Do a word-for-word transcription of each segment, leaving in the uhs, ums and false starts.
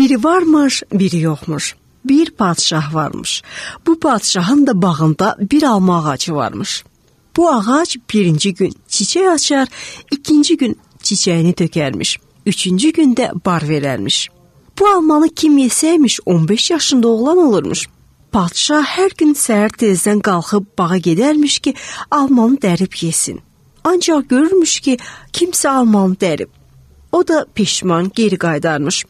Biri varmış, biri yoxmuş. Bir padşah varmış. Bu padşahın da bağında bir alma ağacı varmış. Bu ağac birinci gün çiçək açar, ikinci gün çiçəyini tökərmiş. Üçüncü gündə bar verərmiş. Bu almanı kim yesəymiş on beş yaşında oğlan olurmuş. Padşah hər gün səhər tezdən qalxıb bağa gedərmiş ki, almanı dərib yesin. Ancaq görürmüş ki, kimsə almanı dərib. O da peşman geri qaydarmış.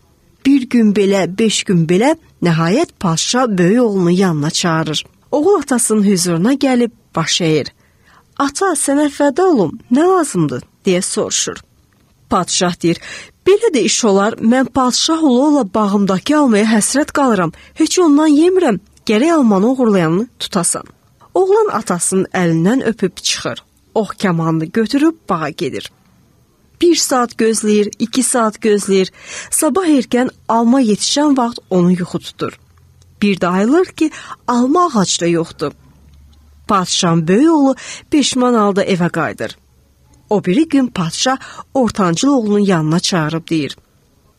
Bir gün belə, beş gün belə, nəhayət padşah böyük oğlunu yanına çağırır. Oğul atasının hüzuruna gəlib baş əyir. Ata, sənə fəda olum, nə lazımdır, deyə soruşur. Padşah deyir, belə də iş olar, mən padşah ola-ola bağımdakı almaya həsrət qalıram, heç ondan yemirəm, gərək almanı uğurlayanını tutasan. Oğlan atasının əlindən öpüb çıxır, ox kamanını götürüb bağa gedir. Bir saat gözləyir, iki saat gözləyir, sabah erkən alma yetişən vaxt onu yuxu tutur. Bir də ayılır ki, alma ağacda yoxdur. Padşahın böyük oğlu peşman halda evə qayıdır. O biri gün padşah ortancıl oğlunun yanına çağırıb deyir,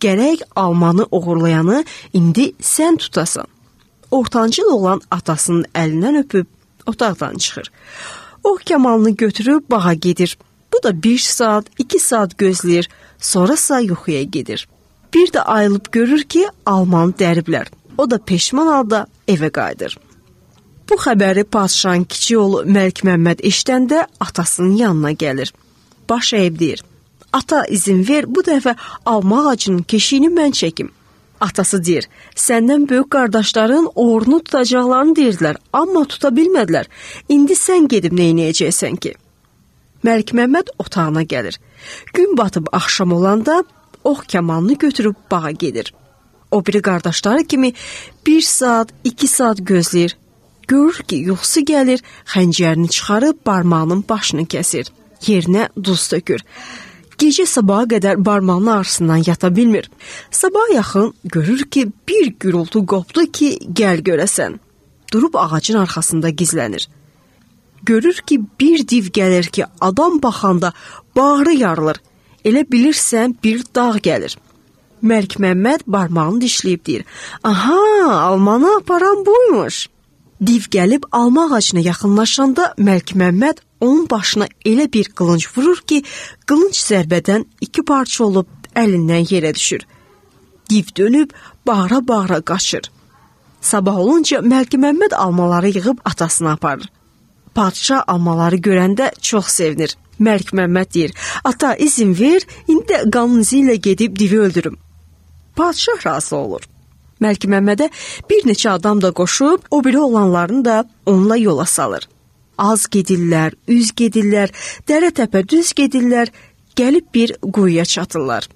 gərək almanı uğurlayanı indi sən tutasan. Ortancıl oğlan atasının əlindən öpüb otaqdan çıxır. O kamanını götürüb bağa gedir. Bu da bir saat, iki saat gözləyir, sonrasa yuxuya gedir. Bir də ayılıb görür ki, almanı dəriblər. O da peşman halda evə qayıdır. Bu xəbəri padşahın kiçik oğlu Məlik Məmməd eşidəndə atasının yanına gəlir. Baş əyib deyir, ata izin ver, bu dəfə alma ağacının keşiyini mən çəkim. Atası deyir, səndən böyük qardaşların oğrunu tutacaqlarını deyirdilər, amma tuta bilmədilər. İndi sən gedib neynəyəcəksən ki? Məlik Məmməd otağına gəlir. Gün batıb axşam olanda ox kamanını götürüb bağa gedir. O biri qardaşları kimi bir saat, iki saat gözləyir. Görür ki, yuxusu gəlir, xəncərini çıxarıb barmağının başını kəsir. Yerinə duz tökür. Gecə sabaha qədər barmağının ağrısından yata bilmir. Sabah yaxın görür ki, bir gürültü qopdu ki, gəl görəsən. Durub ağacın arxasında gizlənir. Görür ki, bir div gəlir ki, adam baxanda bağrı yarılır. Elə bilirsən, bir dağ gəlir. Məlik Məmməd barmağını dişləyib deyir, aha, almanı aparan buymuş. Div gəlib alma ağacına yaxınlaşanda Məlik Məmməd onun başına elə bir qılınc vurur ki, qılınc zərbədən iki parça olub əlindən yerə düşür. Div dönüb bağıra-bağıra qaçır. Sabah olunca Məlik Məmməd almaları yığıb atasına aparır. Padşah almaları görəndə çox sevinir. Məlik Məmməd deyir, ata izin ver, indi də qanun izi ilə gedib divi öldürüm. Padşah razı olur. Məlik Məmmədə bir neçə adam da qoşub, o biri olanlarını da onunla yola salır. Az gedirlər, üz gedirlər, dərə-təpə düz gedirlər, gəlib bir quyuya çatırlar.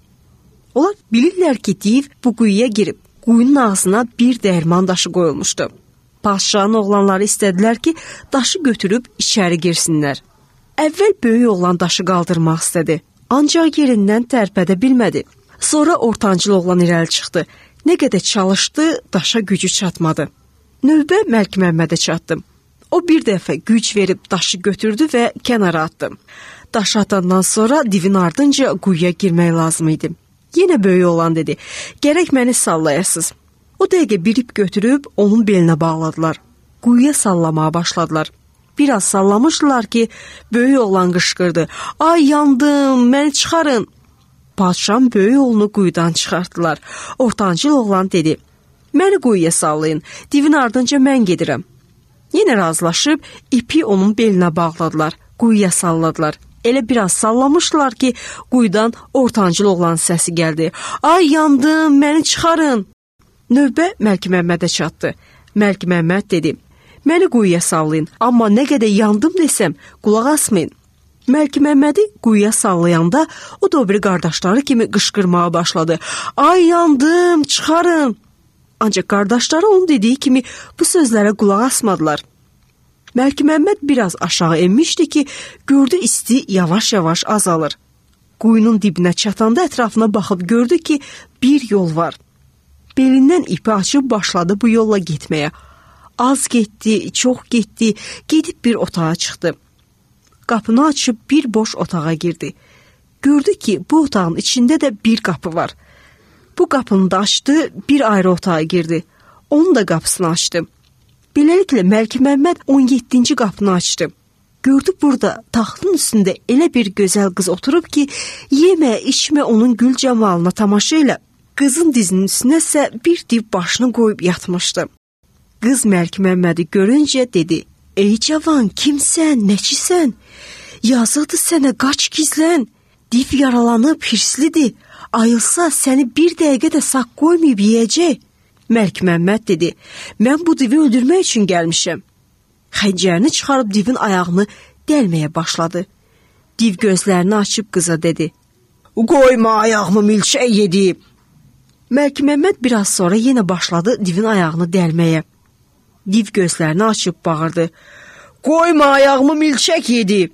Onlar bilirlər ki, div bu quyuya girib, quyunun ağzına bir dəyirman daşı qoyulmuşdu. Padşahın oğlanları istədilər ki, daşı götürüb içəri girsinlər. Əvvəl böyük oğlan daşı qaldırmaq istədi, ancaq yerindən tərpədə bilmədi. Sonra ortancıl oğlan irəli çıxdı. Nə qədər çalışdı, daşa gücü çatmadı. Növbə Məlik Məmmədə çatdı. O bir dəfə güc verib daşı götürdü və kənara atdı. Daşı atandan sonra divin ardınca quyuya girmək lazım idi. Yenə böyük oğlan dedi, gərək məni sallayasız. O dəqiqə bir ip götürüb onun belinə bağladılar. Quyuya sallamaya başladılar. Biraz sallamışdılar ki, böyük oğlan qışqırdı. Ay yandım, məni çıxarın. Padşahın böyük oğlunu quyudan çıxartdılar. Ortancıl oğlan dedi, məni quyuya sallayın, divin ardınca mən gedirəm. Yenə razılaşıb ipi onun belinə bağladılar, quyuya salladılar. Elə biraz sallamışdılar ki, quyudan ortancıl oğlan səsi gəldi. Ay yandım, məni çıxarın. Növbə Məlik Məmmədə çatdı. Məlik Məmməd dedi, məni quyuya sallayın, amma nə qədər yandım desəm, qulaq asmayın. Məlik Məmmədi quyuya sallayanda o da o biri qardaşları kimi qışqırmağa başladı. Ay yandım, çıxarın. Ancaq qardaşları onun dediyi kimi bu sözlərə qulaq asmadılar. Məlik Məmməd biraz aşağı enmişdi ki, gördü isti yavaş-yavaş azalır. Quyunun dibinə çatanda ətrafına baxıb gördü ki, bir yol var. Belindən ipi açıb başladı bu yolla getməyə. Az getdi, çox getdi, gedib bir otağa çıxdı. Qapını açıb bir boş otağa girdi. Gördü ki, bu otağın içində də bir qapı var. Bu qapını da açdı, bir ayrı otağa girdi. Onun da qapısını açdı. Beləliklə Məlikməmməd on yeddinci qapını açdı. Gördü burada taxtın üstündə elə bir gözəl qız oturub ki, yemə, içmə onun gül camalına tamaşa ilə. Qızın dizinin üstünə isə bir div başını qoyub yatmışdı. Qız Məlikməmmədi görüncə dedi: "Ey cavan, kimsən, nəçisən? Yazıqdır sənə, qaç gizlən. Div yaralanıb, hirslidir. Ayılsa səni bir dəqiqə də sağ qoymayıb yeyəcək." Məlikməmməd dedi: "Mən bu divi öldürmək üçün gəlmişəm." Xəncərini çıxarıb divin ayağını dəlməyə başladı. Div gözlərini açıb qıza dedi: "Qoyma ayağımı milçək yedi." Məlikməmməd biraz sonra yenə başladı divin ayağını dəlməyə. Div gözlərini açıb bağırdı: "Qoyma ayağımı milçək yedi."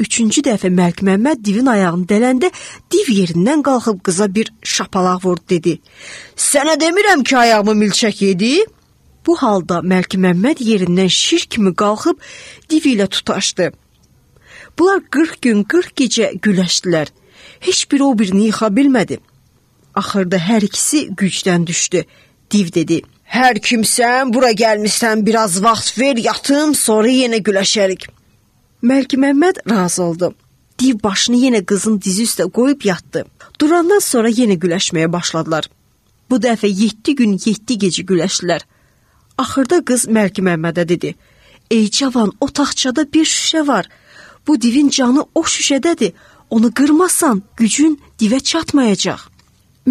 Üçüncü dəfə Məlikməmməd divin ayağını dələndə div yerindən qalxıb qıza bir şapalaq vurdu, dedi: "Sənə demirəm ki, ayağımı milçək yedi." Bu halda Məlikməmməd yerindən şir kimi qalxıb div ilə tutaşdı. Bunlar qırx gün, qırx gecə güləşdilər. Heç biri o birini yıxa bilmədi. Axırda hər ikisi gücdən düşdü. Div dedi: "Hər kimsən, bura gəlmişsən, biraz vaxt ver, yatım, sonra yenə güləşərik." Məlikməmməd razı oldu. Div başını yenə qızın dizi üstə qoyub yatdı. Durandan sonra yenə güləşməyə başladılar. Bu dəfə yeddi gün, yeddi gecə güləşdilər. Axırda qız Məlikməmmədə dedi: "Ey cavan, o taxtçada bir şüşə var. Bu divin canı o şüşədədir. Onu qırmasan gücün divə çatmayacaq."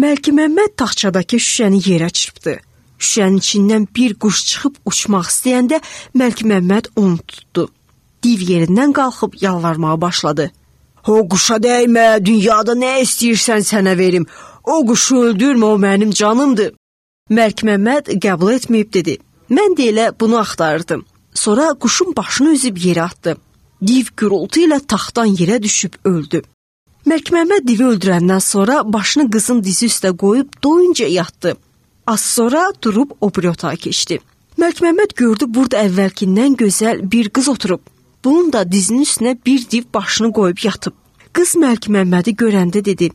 Məlikməmməd taxtçadakı şüşəni yerə çırpdı. Şüşənin içindən bir quş çıxıb uçmaq istəyəndə Məlikməmməd onu tutdu. Div yerindən qalxıb yalvarmağa başladı. "O quşa dəymə, dünyada nə istəyirsən sənə verim. O quşu öldürmə, o mənim canımdır." Məlikməmməd qəbul etməyib dedi: "Mən də elə bunu axtarırdım." Sonra quşun başını üzüb yerə atdı. Div gürültü ilə taxtdan yerə düşüb öldü. Məlikməmməd divi öldürəndən sonra başını qızın dizi üstə qoyub doyunca yatdı. Az sonra durub o biri otağa keçdi. Məlikməmməd gördü burada əvvəlkindən gözəl bir qız oturub. Bunun da dizinin üstünə bir div başını qoyub yatıb. Qız Məlikməmmədi görəndə dedi: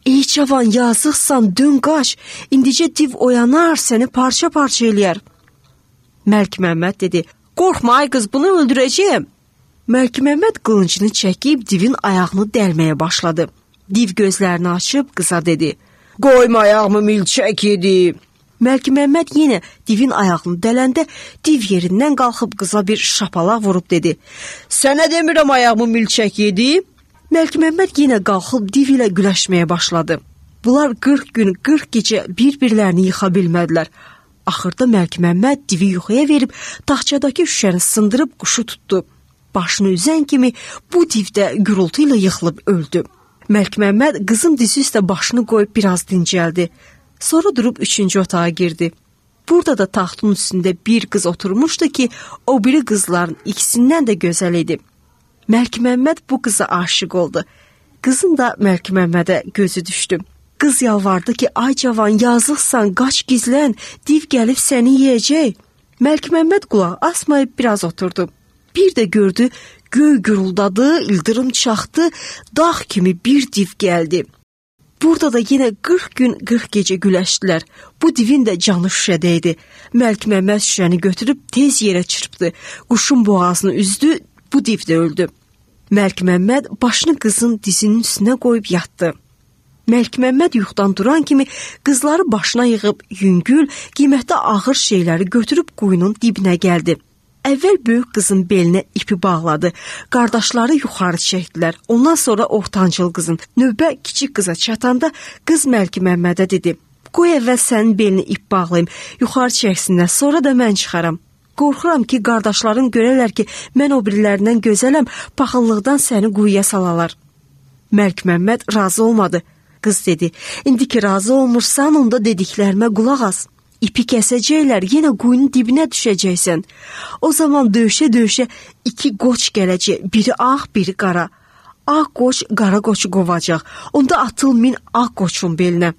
"Ey cavan, yazıqsan, dön qaç. İndicə div oyanar, səni parça-parça eləyər." Məlikməmməd dedi: "Qorxma ay qız, bunu öldürəcəyəm." Məlikməmməd qılıncını çəkib divin ayağını dəlməyə başladı. Div gözlərini açıb qıza dedi: "Qoyma ayağımı milçək yedi." Məlikməmməd yenə divin ayağını dələndə div yerindən qalxıb qıza bir şapalaq vurub dedi: "Sənə demirəm ayağımı milçək yedi." Məlikməmməd yenə qalxıb div ilə güləşməyə başladı. Bunlar qırx gün, qırx gecə bir-birlərini yıxa bilmədilər. Axırda Məlikməmməd divi yuxuya verib taxtçadakı şüşəni sındırıb quşu tutdu. Başını üzən kimi bu div də gürültü ilə yıxılıb öldü. Məlikməmməd qızın dizi üstə başını qoyub biraz dincəldi. Sonra durub üçüncü otağa girdi. Burada da taxtın üstündə bir qız oturmuşdu ki, o biri qızların ikisindən də gözəl idi. Məlikməmməd bu qıza aşiq oldu. Qızın da Məlikməmmədə gözü düşdü. Qız yalvardı ki, "Ay cavan, yazıqsan, qaç gizlən, div gəlib səni yeyəcək." Məlikməmməd qulaq asmayıb biraz oturdu. Bir də gördü, göy güruldadı, ildırım çaxdı, dağ kimi bir div gəldi. Burada da yenə qırx gün, qırx gecə güləşdilər. Bu divin də canı şüşədə idi. Məlikməmməd şüşəni götürüb tez yerə çırpdı. Quşun boğazını üzdü, bu div də öldü. Məlikməmməd başını qızın dizinin üstünə qoyub yatdı. Məlikməmməd yuxudan duran kimi qızları başına yığıb yüngül, qiymətli ağır şeyləri götürüb quyunun dibinə gəldi. Əvvəl böyük qızın belinə ipi bağladı. Qardaşları yuxarı çəkdilər. Ondan sonra ortancıl qızın. Növbə kiçik qıza çatanda qız Məlikməmmədə dedi: "Qoy əvvəl sənin belini ip bağlayım, yuxarı çəksinlər, sonra da mən çıxaram. Qorxuram ki, qardaşların görərlər ki, mən o birilərindən gözələm, paxıllıqdan səni quyuya salalar." Məlikməmməd razı olmadı. Qız dedi: "İndi ki razı olmursan, onda dediklərimə qulaq as. İpi kəsəcəklər, yenə quyunun dibinə düşəcəksən. O zaman döyüşə-döyüşə iki qoç gələcək, biri ağ, biri qara. Ağ qoç qara qoçu qovacaq. Onda atıl min ağ qoçun belinə.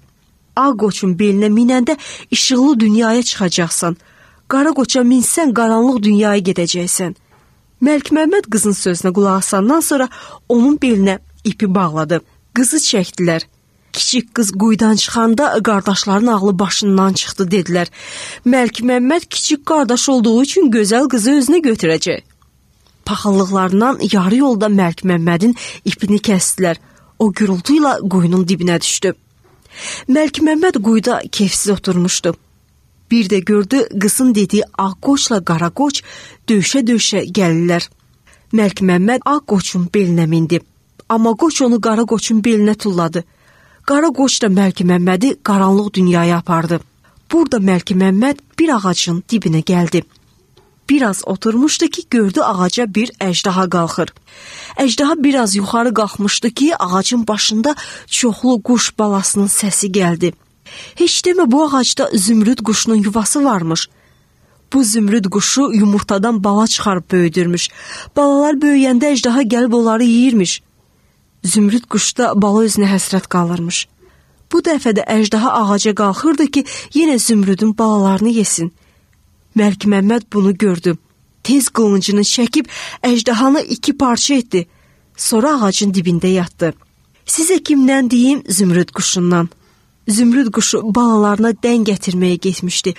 Ağ qoçun belinə minəndə işıqlı dünyaya çıxacaqsan. Qara qoça minsən, qaranlıq dünyaya gedəcəksən." Məlikməmməd qızın sözünə qulaq asandan sonra onun belinə ipi bağladı. Qızı çəkdilər. Kiçik qız quyudan çıxanda qardaşların ağlı başından çıxdı dedilər. Məlik Məmməd kiçik qardaş olduğu üçün gözəl qızı özünə götürəcək. Paxıllıqlarından yarı yolda Məlik Məmmədin ipini kəsdilər. O gürültü ilə quyunun dibinə düşdü. Məlik Məmməd quyuda keyfsiz oturmuşdu. Bir də gördü qızın dediyi ağ qoçla qara qoç döyüşə-döyüşə gəlirlər. Məlik Məmməd ağ qoçun belinə mindi. Amma qoç onu qara qoçun belinə tulladı. Qara qoç da Məlik Məmmədi qaranlıq dünyaya apardı. Burada Məlik Məmməd bir ağacın dibinə gəldi. Biraz oturmuşdu ki, gördü ağaca bir əjdaha qalxır. Əjdaha biraz yuxarı qalxmışdı ki, ağacın başında çoxlu quş balasının səsi gəldi. Heç demə bu ağacda zümrüd quşunun yuvası varmış. Bu zümrüd quşu yumurtadan bala çıxarıb böyüdürmüş. Balalar böyüyəndə əjdaha gəlib onları yeyirmiş. Zümrüd quşda bala özünə həsrət qalırmış. Bu dəfə də əjdaha ağaca qalxırdı ki, yenə zümrüdün balalarını yesin. Məlik Məmməd bunu gördü. Tez qılıncını çəkib əjdahanı iki parça etdi. Sonra ağacın dibində yatdı. Sizə kimdən deyim? Zümrüd quşundan. Zümrüd quşu balalarına dən gətirməyə getmişdi.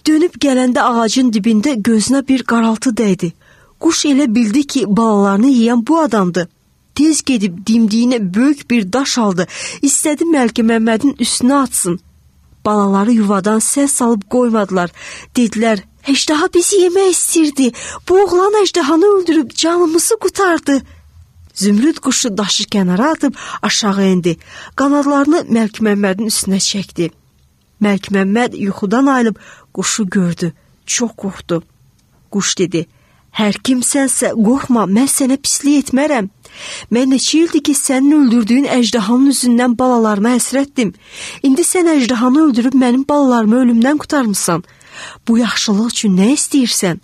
Dönüb gələndə ağacın dibində gözünə bir qaraltı dəydi. Quş elə bildi ki, balalarını yeyən bu adamdır. Tez gedib dimdiyinə böyük bir daş aldı. İstədi Məlik Məmmədin üstünə atsın. Balaları yuvadan səs salıb qoymadılar. Dedilər, əjdaha bizi yemək istirdi. Bu oğlan əjdahanı öldürüb canımızı qurtardı. Zümrüd quşu daşı kənara atıb aşağı indi. Qanadlarını Məlik Məmmədin üstünə çəkdi. Məlik Məmməd yuxudan ayılıb quşu gördü. Çox qorxdu. Quş dedi, hər kimsənsə qorxma, mən sənə pislik etmərəm. Mən neçə ildir ki, sənin öldürdüyün əjdahanın üzündən balalarıma həsrətdim. İndi sən əjdahanı öldürüb mənim balalarımı ölümdən qurtarmısan. Bu yaxşılıq üçün nə istəyirsən?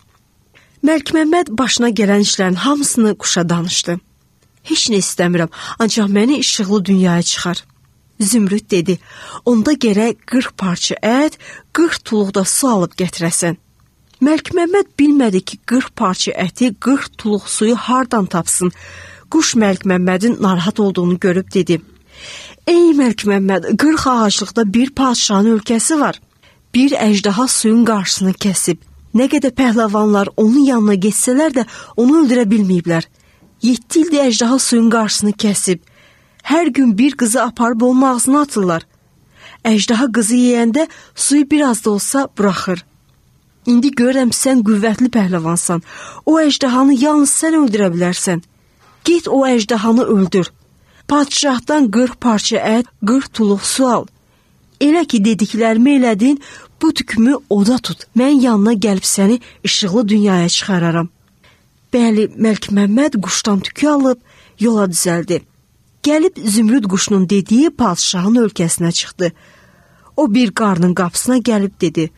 Məlik Məmməd başına gələn işlərin hamısını quşa danışdı. Heç nə istəmirəm, ancaq məni işıqlı dünyaya çıxar. Zümrüd dedi, onda gərək qırx parça ət, qırx tuluq da su alıb gətirəsən. Məlik Məmməd bilmədi ki, qırx parça əti, qırx tuluq suyu hardan tapsın. Quş Məlik Məmmədin narahat olduğunu görüb dedi, ey Məlik Məmməd, qırx ağaclıqda bir padşahın ölkəsi var. Bir əjdaha suyun qarşısını kəsib. Nə qədər pəhləvanlar onun yanına geçsələr də onu öldürə bilməyiblər. Yeddi ildir əjdaha suyun qarşısını kəsib. Hər gün bir qızı aparıb onun ağzına atırlar. Əjdaha qızı yeyəndə suyu biraz da olsa buraxır. İndi görürəm sən qüvvətli pəhləvansan. O əjdahanı yalnız sən öldürə bilərsən. Get o əjdahanı öldür. Padşahdan qırx parça ət, qırx tuluq su al. Elə ki dediklərimi elədin, bu tükümü oda tut. Mən yanına gəlib səni işıqlı dünyaya çıxararam. Bəli, Məlik Məmməd quşdan tükü alıb yola düzəldi. Gəlib zümrüd quşunun dediyi padşahın ölkəsinə çıxdı. O bir qarının qapısına gəlib dedi,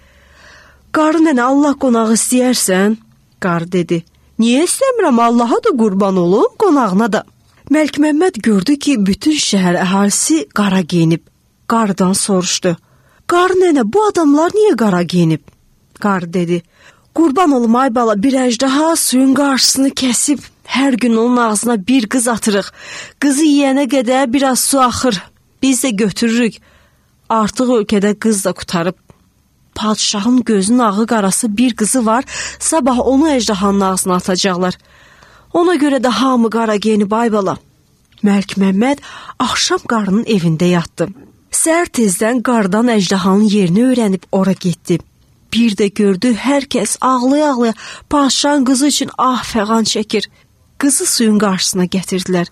qarı nənə, Allah qonağı istəyərsən? Qarı dedi, niyə istəmirəm, Allaha da qurban olum, qonağına da. Məlik Məmməd gördü ki, bütün şəhər əhalisi qara geyinib. Qarıdan soruşdu, qarı nənə, bu adamlar niyə qara geyinib? Qarı dedi, qurban olum ay bala, bir əjdaha suyun qarşısını kəsib, hər gün onun ağzına bir qız atırıq. Qızı yeyənə qədər biraz su axır, biz də götürürük. Artıq ölkədə qız da qutarıb. Padşahın gözünün ağı qarası bir qızı var, sabah onu əjdahanın ağzına atacaqlar. Ona görə də hamı qara geyinib ay bala. Məlik Məmməd axşam qarının evində yatdı. Səhər tezdən qardan əjdahanın yerini öyrənib ora getdi. Bir də gördü, hər kəs ağlaya-ağlaya padşahın qızı üçün ah fəğan çəkir. Qızı suyun qarşısına gətirdilər.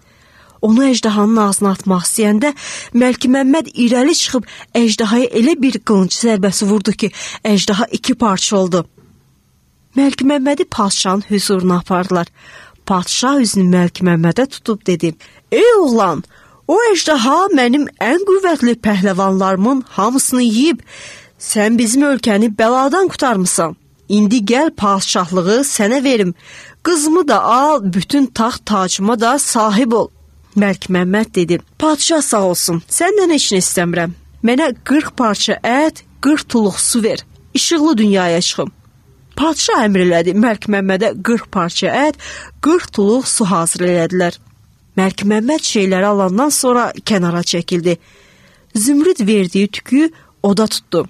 Onu əjdahanın ağzına atmaq istəyəndə Məlik Məmməd irəli çıxıb əjdahaya elə bir qılınc zərbəsi vurdu ki, əjdaha iki parça oldu. Məlik Məmmədi padşahın hüzuruna apardılar. Padşah üzünü Məlik Məmmədə tutub dedi, ey oğlan, o əjdaha mənim ən qüvvətli pəhləvanlarımın hamısını yeyib, sən bizim ölkəni bəladan qurtarmısan. İndi gəl padşahlığı sənə verim, qızımı da al, bütün taxt tacıma da sahib ol. Məlik Məmməd dedi, padşah sağ olsun, səndən heç nə istəmirəm. Mənə qırx parça ət, qırx tuluq su ver, işıqlı dünyaya çıxım. Padşah əmr elədi, Məlik Məmmədə qırx parça ət, qırx tuluq su hazır elədilər. Məlik Məmməd şeyləri alandan sonra kənara çəkildi. Zümrüd verdiyi tükü oda tutdu.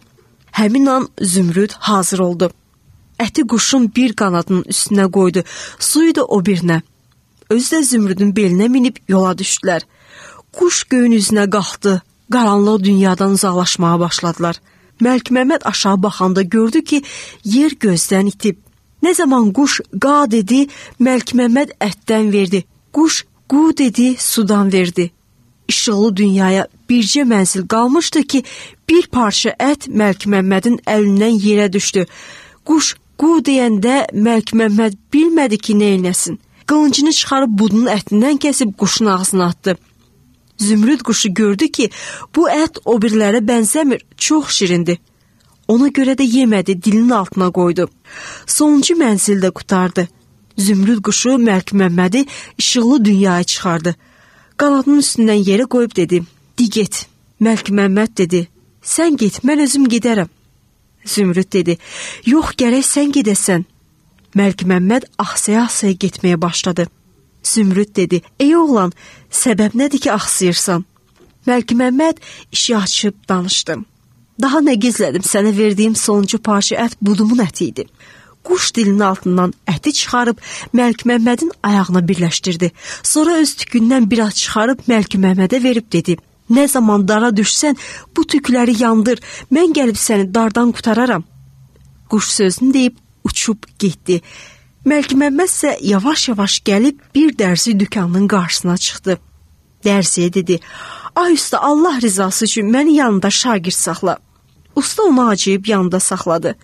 Həmin an Zümrüd hazır oldu. Əti quşun bir qanadının üstünə qoydu, suyu da o birinə. Özü də Zümrüdün belinə minib yola düşdülər. Quş göyün üzünə qalxdı, qaranlıq dünyadan uzaqlaşmağa başladılar. Məlikməmməd aşağı baxanda gördü ki, yer gözdən itib. Nə zaman quş qa dedi, Məlikməmməd ətdən verdi. Quş qu dedi, sudan verdi. İşıqlı dünyaya bircə mənzil qalmışdı ki, bir parça ət Məlikməmmədin əlindən yerə düşdü. Quş qu deyəndə Məlikməmməd bilmədi ki, nə eləsin. Qılıncını çıxarıb budunun ətindən kəsib quşun ağzına atdı. Zümrüd quşu gördü ki, bu ət o birilərə bənzəmir, çox şirindir. Ona görə də yemədi, dilinin altına qoydu. Sonuncu mənzildə qutardı. Zümrüd quşu Məlikməmmədi işıqlı dünyaya çıxardı. Qanadının üstündən yerə qoyub dedi, "Di get." Məlikməmməd dedi, "Sən get, mən özüm gedərəm." Zümrüd dedi, "Yox, gərək sən gedəsən." Məlikməmməd axsaya-axsaya getməyə başladı. Zümrüd dedi, "Ey oğlan, səbəb nədir ki, axsayırsan?" Məlikməmməd işi açıb danışdı. "Daha nə gizlədim, sənə verdiyim sonuncu parça ət budumun əti idi." Quş dilinin altından əti çıxarıb Məlikməmmədin ayağına birləşdirdi. Sonra öz tükündən biraz çıxarıb Məlikməmmədə verib dedi, "Nə zaman dara düşsən, bu tükləri yandır, mən gəlib səni dardan qutararam." Quş sözünü deyib uçub getdi. Məlikməmməd isə yavaş-yavaş gəlib bir dərzi dükanının qarşısına çıxdı. Dərziyə dedi, "Ay usta, Allah rizası üçün məni yanında şagird saxla." Usta onu acıyıb yanında saxladı.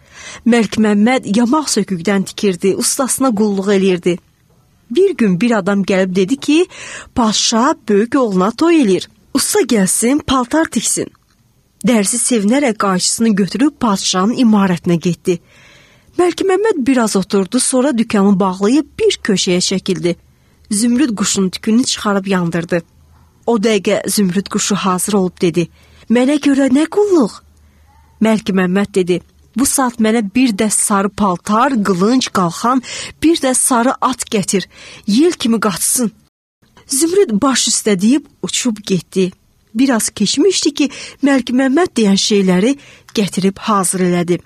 Məlikməmməd yamaq sökükdən tikirdi, ustasına qulluq eləyirdi. Bir gün bir adam gəlib dedi ki, "Padşah böyük oğluna toy eləyir. Usta gəlsin, paltar tiksin." Dərzi sevinərək qayçısını götürüb padşahın imarətinə getdi. Məlikməmməd biraz oturdu, sonra dükanı bağlayıb bir köşəyə çəkildi. Zümrüd quşun tükünü çıxarıb yandırdı. O dəqiqə Zümrüd quşu hazır olub dedi, "Mənə görə nə qulluq?" Məlikməmməd dedi, "Bu saat mənə bir dəst sarı paltar, qılınc, qalxan, bir də sarı at gətir, yel kimi qaçsın." Zümrüd baş üstə deyib uçub getdi. Biraz keçmişdi ki, Məlikməmməd deyən şeyləri gətirib hazır elədi.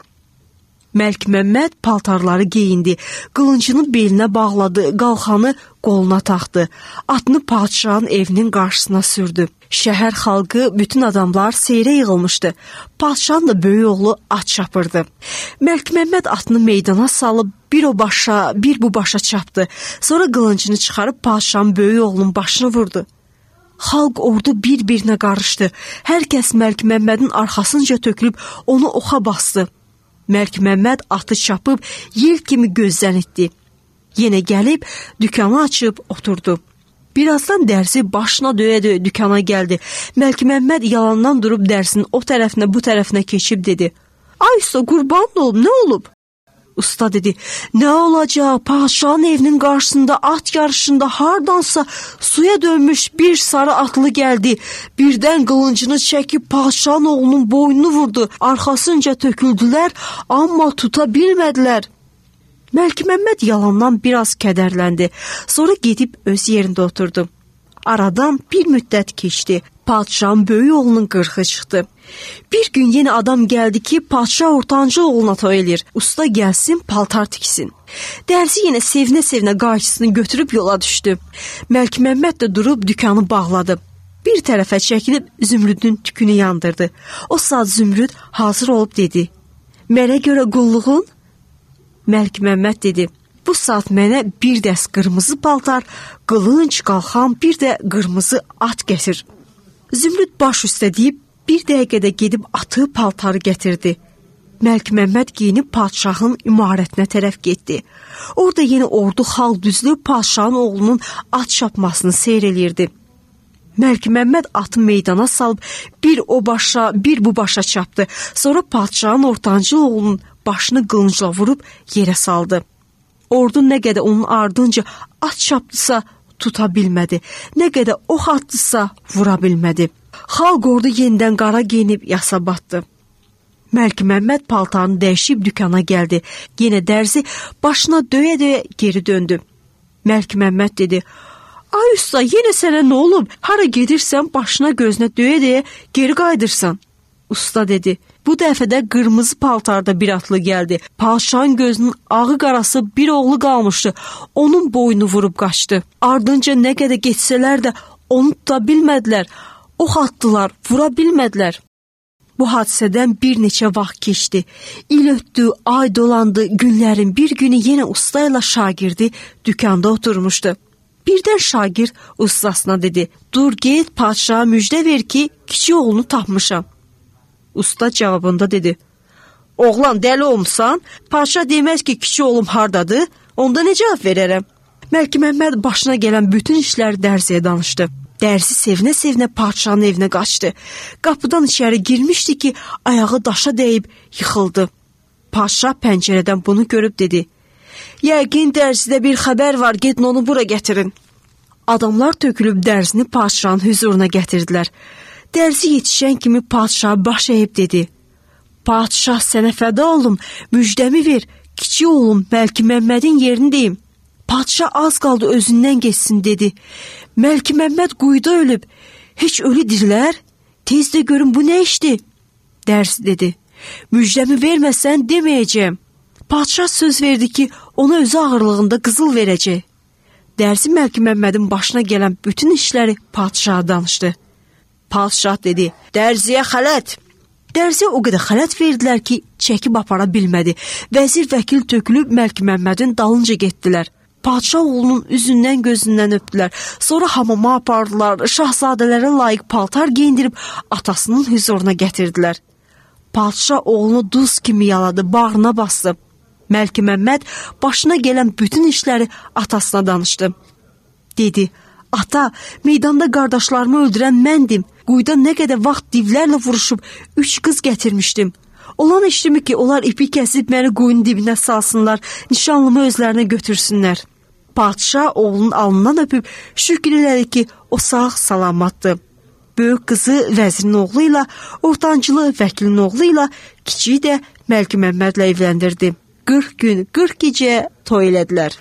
Məlikməmməd paltarları geyindi, qılıncını belinə bağladı, qalxanı qoluna taxdı, atını padşahın evinin qarşısına sürdü. Şəhər xalqı, bütün adamlar seyrə yığılmışdı. Padşahın da böyük oğlu at çapırdı. Məlikməmməd atını meydana salıb bir o başa, bir bu başa çapdı. Sonra qılıncını çıxarıb padşahın böyük oğlunun başını vurdu. Xalq ordu bir-birinə qarışdı. Hər kəs Məlikməmmədin arxasınca tökülüb onu oxa bastı. Məlikməmməd atı çapıb yel kimi gözdən itdi. Yenə gəlib dükanı açıb oturdu. Birazdan dərzi başına döyə-döyə dükana gəldi. Məlikməmməd yalandan durub dərsinin o tərəfinə bu tərəfinə keçib dedi, "Ay usta, qurban olum, nə olub?" Usta dedi, "Nə olacaq? Padşahın evinin qarşısında at yarışında hardansa suya dönmüş bir sarı atlı gəldi. Birdən qılıncını çəkib padşahın oğlunun boynunu vurdu. Arxasınca töküldülər, amma tuta bilmədilər." Məlikməmməd yalandan biraz kədərləndi. Sonra gedib öz yerində oturdu. Aradan bir müddət keçdi. Padşahın böyük oğlunun qırxı çıxdı. Bir gün yenə adam gəldi ki, padşah ortancı oğluna toy eləyir. Usta gəlsin, paltar tiksin. Dərzi yenə sevinə-sevinə qayçısını götürüb yola düşdü. Məlikməmməd də durub dükanı bağladı. Bir tərəfə çəkilib Zümrüdün tükünü yandırdı. O saat Zümrüd hazır olub dedi, "Mənə görə qulluğun?" Məlikməmməd dedi, "Bu saat mənə bir dəst qırmızı paltar, qılınc, qalxan, bir də qırmızı at gətir." Zümrüd baş üstə deyib bir dəqiqədə gedib atı, paltarı gətirdi. Məlikməmməd geyinib padşahın imarətinə tərəf getdi. Orada yenə ordu xalq düzülüb padşahın oğlunun at çapmasını seyr eləyirdi. Məlikməmməd atı meydana salıb bir o başa, bir bu başa çapdı. Sonra padşahın ortancı oğlunun başını qılıncla vurub yerə saldı. Ordu nə qədər onun ardınca at çapdısa tuta bilmədi. Nə qədər ox atdısa vura bilmədi. Xalq ordu yenidən qara geyinib yasa batdı. Məlikməmməd paltarını dəyişib dükana gəldi. Yenə dərzi başına döyə-döyə geri döndü. Məlikməmməd dedi, Ay usta, yenə sənə nə olub? Hara gedirsən başına gözünə döyə-döyə geri qayıdırsan. Usta dedi. Bu dəfə də qırmızı paltarda bir atlı gəldi. Padşahın gözünün ağı qarası bir oğlu qalmışdı. Onun boynu vurub qaçdı. Ardınca nə qədər geçsələr də onu tuta bilmədilər. Ox atdılar, vura bilmədilər. Bu hadisədən bir neçə vaxt keçdi. İl ötdü, ay dolandı, günlərin bir günü yenə usta ilə şagirdi dükanda oturmuşdu. Birdən şagird ustasına dedi, dur get padşaha müjdə ver ki, kiçik oğlunu tapmışam. Usta cavabında dedi, oğlan dəli olmuşsan, padşah deməz ki, kiçik oğlum hardadır, onda nə cavab verərəm? Məlik Məmməd başına gələn bütün işləri dərziyə danışdı. Dərzi sevinə-sevinə padşahın evinə qaçdı. Qapıdan içəri girmişdi ki, ayağı daşa dəyib yıxıldı. Padşah pəncərədən bunu görüb dedi, yəqin dərzidə bir xəbər var, gedin onu bura gətirin. Adamlar tökülüb dərzini padşahın hüzuruna gətirdilər. Dərzi yetişən kimi padşah baş əyib dedi, padşah sənə fəda olum, müjdəmi ver, kiçik oğlum Məlik Məmmədin yerini deyim. Padşah az qaldı özündən geçsin dedi. Məlik Məmməd quyuda ölüb, heç ölü dirilər? Tez də görün bu nə işdir? Dərzi dedi, müjdəmi verməsən deməyəcəm. Padşah söz verdi ki, ona özü ağırlığında qızıl verəcək. Dərzi Məlik Məmmədin başına gələn bütün işləri padşaha danışdı. Padşah dedi, dərziyə xələt. Dərziyə o qədər xələt verdilər ki, çəkib apara bilmədi. Vəzir vəkil tökülüb Məlik Məmmədin dalınca getdilər. Padşah oğlunun üzündən gözündən öpdülər. Sonra hamama apardılar, şahzadələrə layiq paltar geyindirib atasının hüzuruna gətirdilər. Padşah oğlunu duz kimi yaladı, bağrına bastı. Məlik Məmməd başına gələn bütün işləri atasına danışdı. Dedi, ata, meydanda qardaşlarımı öldürən məndim. Quyuda nə qədər vaxt divlərlə vuruşub üç qız gətirmişdim. Olan işdimi ki, onlar ipi kəsib məni quyunun dibinə salsınlar, nişanlımı özlərinə götürsünlər. Padşah oğlunun alnından öpüb şükür elədi ki, o sağ salamatdır. Böyük qızı vəzirin oğlu ilə, ortancılı vəkilin oğlu ilə, kiçiyi də Məlik Məmmədlə evləndirdi. qırx gün, qırx gecə toy elədilər.